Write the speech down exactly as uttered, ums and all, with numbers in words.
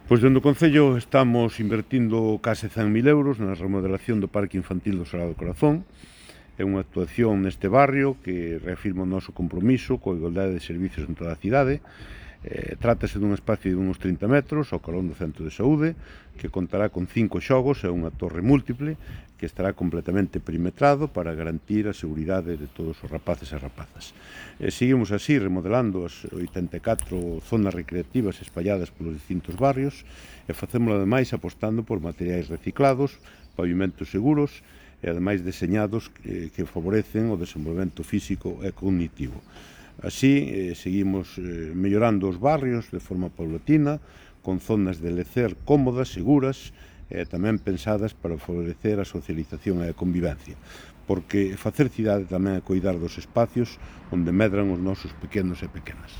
Pois dentro do Concello estamos invertindo case cen mil euros na remodelación do Parque Infantil do Sagrado Corazón. É unha actuación neste barrio que reafirma o noso compromiso coa igualdade de servicios en toda a cidade. Eh, trátase dun espacio de uns trinta metros ao carón do centro de saúde, que contará con cinco xogos e unha torre múltiple que estará completamente perimetrado para garantir a seguridade de todos os rapaces e rapazas. Eh, seguimos así remodelando as oitenta e catro zonas recreativas espalladas polos distintos barrios e facémolo ademais apostando por materiais reciclados, pavimentos seguros e ademais deseñados que, que favorecen o desenvolvemento físico e cognitivo. Así, eh, seguimos eh, mellorando os barrios de forma paulatina, con zonas de lecer cómodas, seguras, e eh, tamén pensadas para favorecer a socialización e a convivencia, porque facer cidade tamén é coidar dos espacios onde medran os nosos pequenos e pequenas.